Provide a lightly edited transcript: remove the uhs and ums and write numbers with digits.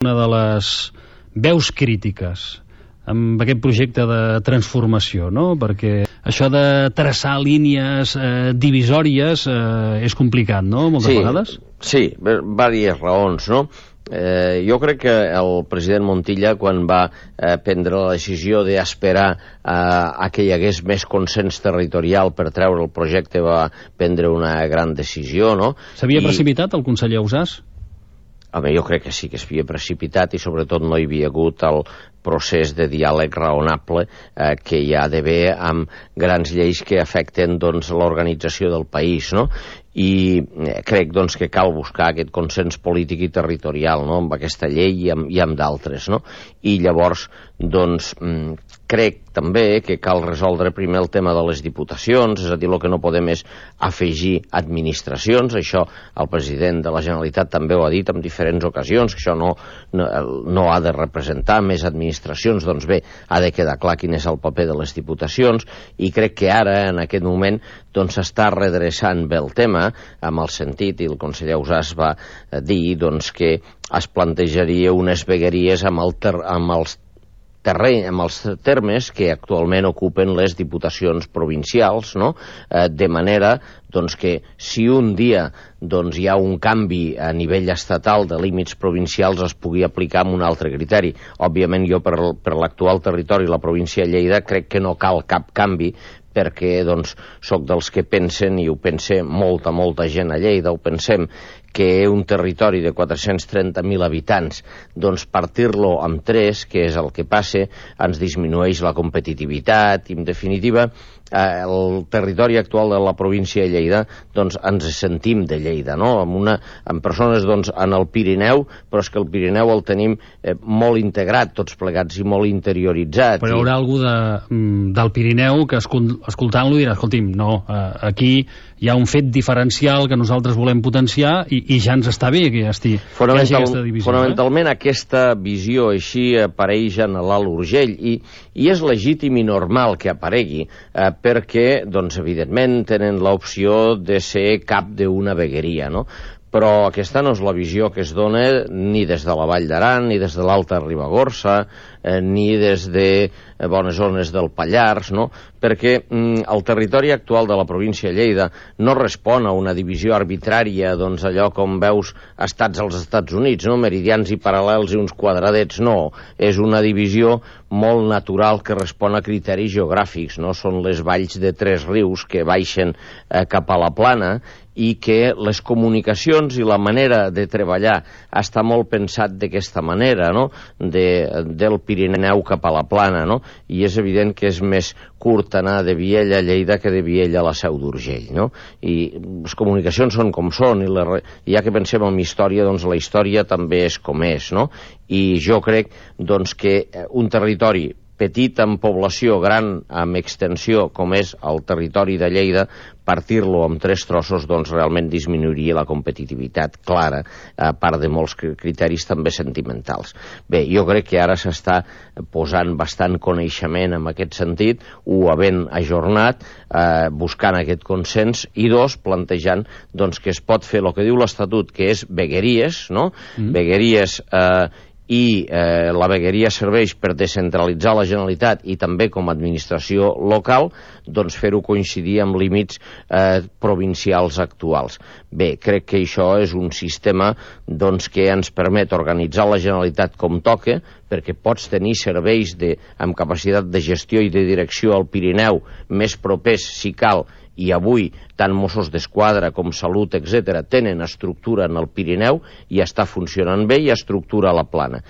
una de les veus crítiques amb aquest projecte de transformació, no? Perquè això de traçar línies divisòries és complicat, no? Moltes vegades. Sí, diverses raons, no? Jo crec que el president Montilla, quan va prendre la decisió d'esperar a que hi hagués més consens territorial per treure el projecte, va prendre una gran decisió, no? S'havia precipitat el conseller Ausàs? Home, jo crec que sí que es havia precipitat i sobretot no hi havia hagut el procés de diàleg raonable que hi ha d'haver amb grans lleis que afecten l'organització del país, no? I crec que cal buscar aquest consens polític i territorial, no? Amb aquesta llei i amb d'altres, no? I llavors crec també que cal resoldre primer el tema de les diputacions, és a dir, el que no podem és afegir administracions. Això el president de la Generalitat també ho ha dit en diferents ocasions, que això no ha de representar més administracions. Doncs bé, ha de quedar clar quin és el paper de les diputacions, i crec que ara, en aquest moment, s'està redreçant bé el tema, amb el sentit, i el conseller Ausàs va dir que es plantejaria unes vegueries amb els termes que actualment ocupen les diputacions provincials, no? De manera que si un dia hi ha un canvi a nivell estatal de límits provincials es pugui aplicar amb un altre criteri. Òbviament jo per l'actual territori, la província de Lleida, crec que no cal cap canvi, perquè soc dels que pensen, i ho pensa molta gent a Lleida, ho pensem, que un territori de 430.000 habitants, partir-lo amb 3, que és el que passa, ens disminueix la competitivitat, i en definitiva el territori actual de la província de Lleida, ens sentim de Lleida, no? Amb persones en el Pirineu, però és que el Pirineu el tenim molt integrat, tots plegats, i molt interioritzat. Però hi haurà algú del Pirineu que escoltant-lo dirà, escolti'm, no, aquí hi ha un fet diferencial que nosaltres volem potenciar i ja ens està bé que hi hagi aquesta divisió. Fonamentalment aquesta visió així apareix en l'Alt Urgell, i és legítim i normal que aparegui, perquè, evidentment, tenen l'opció de ser cap d'una vegueria, no? Però aquesta no és la visió que es dona ni des de la Vall d'Aran, ni des de l'Alta Ribagorça, ni des de bones zones del Pallars, no? Perquè el territori actual de la província de Lleida no respon a una divisió arbitrària, allò com veus estats als Estats Units, no? Meridians i paral·lels i uns quadradets, no. És una divisió molt natural que respon a criteris geogràfics, no? Són les valls de 3 rius que baixen cap a la plana, i que les comunicacions i la manera de treballar està molt pensat d'aquesta manera, no? Del Pirineu cap a la plana, no? I és evident que és més curt anar de Viella a Lleida que de Viella a la Seu d'Urgell, no? I les comunicacions són com són, i ja que pensem en història, la història també és com és, no? I jo crec que un territori petit en població, gran amb extensió, com és el territori de Lleida, partir-lo en 3 trossos realment disminuiria la competitivitat clara, a part de molts criteris també sentimentals. Bé, jo crec que ara s'està posant bastant coneixement en aquest sentit, ho havent ajornat, buscant aquest consens, i 2, plantejant que es pot fer el que diu l'Estatut, que és vegueries, no? Vegueries i la vegueria serveix per descentralitzar la Generalitat i també com a administració local, fer-ho coincidir amb límits provincials actuals. Bé, crec que això és un sistema que ens permet organitzar la Generalitat com toca, perquè pots tenir serveis amb capacitat de gestió i de direcció al Pirineu més propers, si cal, i avui tant Mossos d'Esquadra com Salut, etc., tenen estructura en el Pirineu i està funcionant bé, i estructura a la plana.